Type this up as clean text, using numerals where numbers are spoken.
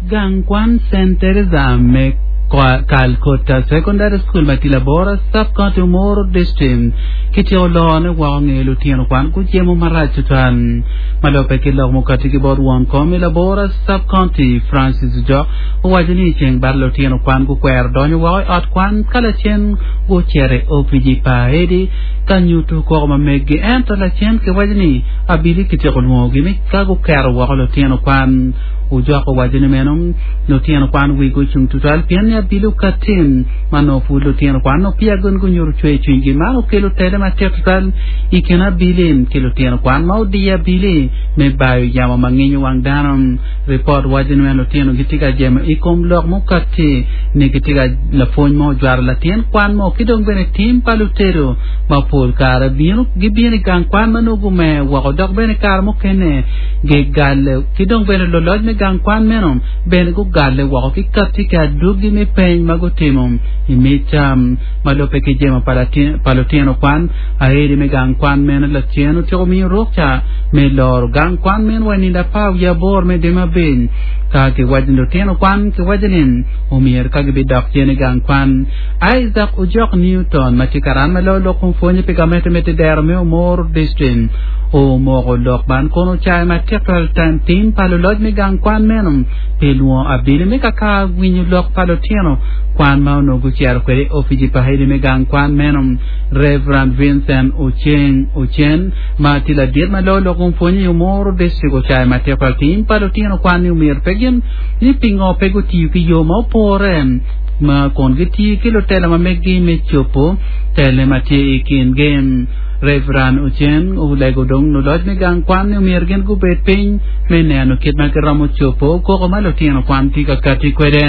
gang kwan Saint Teresa me Calcutta Secondary School ma tye Labora Sub-County Omoro District kityeko lorone woko nge lutino kwan gujemo marac tutwal. Ma lubbe ki lok mukati ki bot won kom i Labora Sub-County Francis Ojok owaco ni ceng bad lutino kwan gukwero donyo woko i ot kwan ka lacen gucito i opici pa Edi ka nyuto koko ma meggi ento lacen kiwaco ni abili kityeko lwongogi mi ka guketo woko lutino kwan. Ojok owaco ni meno lutino kwan wigi ocung tutwal pien ni abili okatin ma nongo pud lutino kwan nongo peya gin gunyuto cwer cwinygi. Man okelo tele matek tutwal i kin abili ki lutino kwan ma odiyo abili me bayo yamo ma nginyo wang dano. Ripot waco ni meno lutino gitye ka jemo i kom lok mukati ni gitye ka lapwony mo ojwaro latin kwan mo ki dong bene tim pa lutedo ma pol kare bino gibino i gang kwan ma nongo gumer woko dok bene kare mukene gigalle ki dong bene luloc me gang kwan meno bene gugalle woko ki katti ki adwogi me peny ma gutimo i mic ma lubbe ki jemo pa lutino kwan. Aeri me gang kwan meno lacen otyeko miyo rukca me loro gang kwan meno wa i nindo apar wiye aboro me dwe me abic. Ka kiwaco ni lutino kwan kiwaco ni omyero ka gibidok cen i gang kwan. Isaac Ojok Newton ma tye karan ma loyo lok kom pwonye pi gamente me Tidero me Omoro District omoko lok man kun ocayo matek twal tim pa luloc me gang kwan meno pi lwongo abili me kaka winyo lok pa lutino kwan ma onongo gucito kwede i opici pa hedi me gang kwan meno. Rev. Vincent Oceng Ocen ma tye ladit ma loyo lok kom pwonye i Omoro District ocayo matek twal tim pa lutino kwan ni omyero pe gin ni pingo pe gutiyo ki yo ma opore ma kun gitiyo ki lutela ma meggi me cobo tele ma tye i kingi. Rev. Ocen olego dong luloc me gang kwan ni omyero gin gubed piny me neno kit ma giromo cobo koko ma lutino kwan tye ka kati kwede.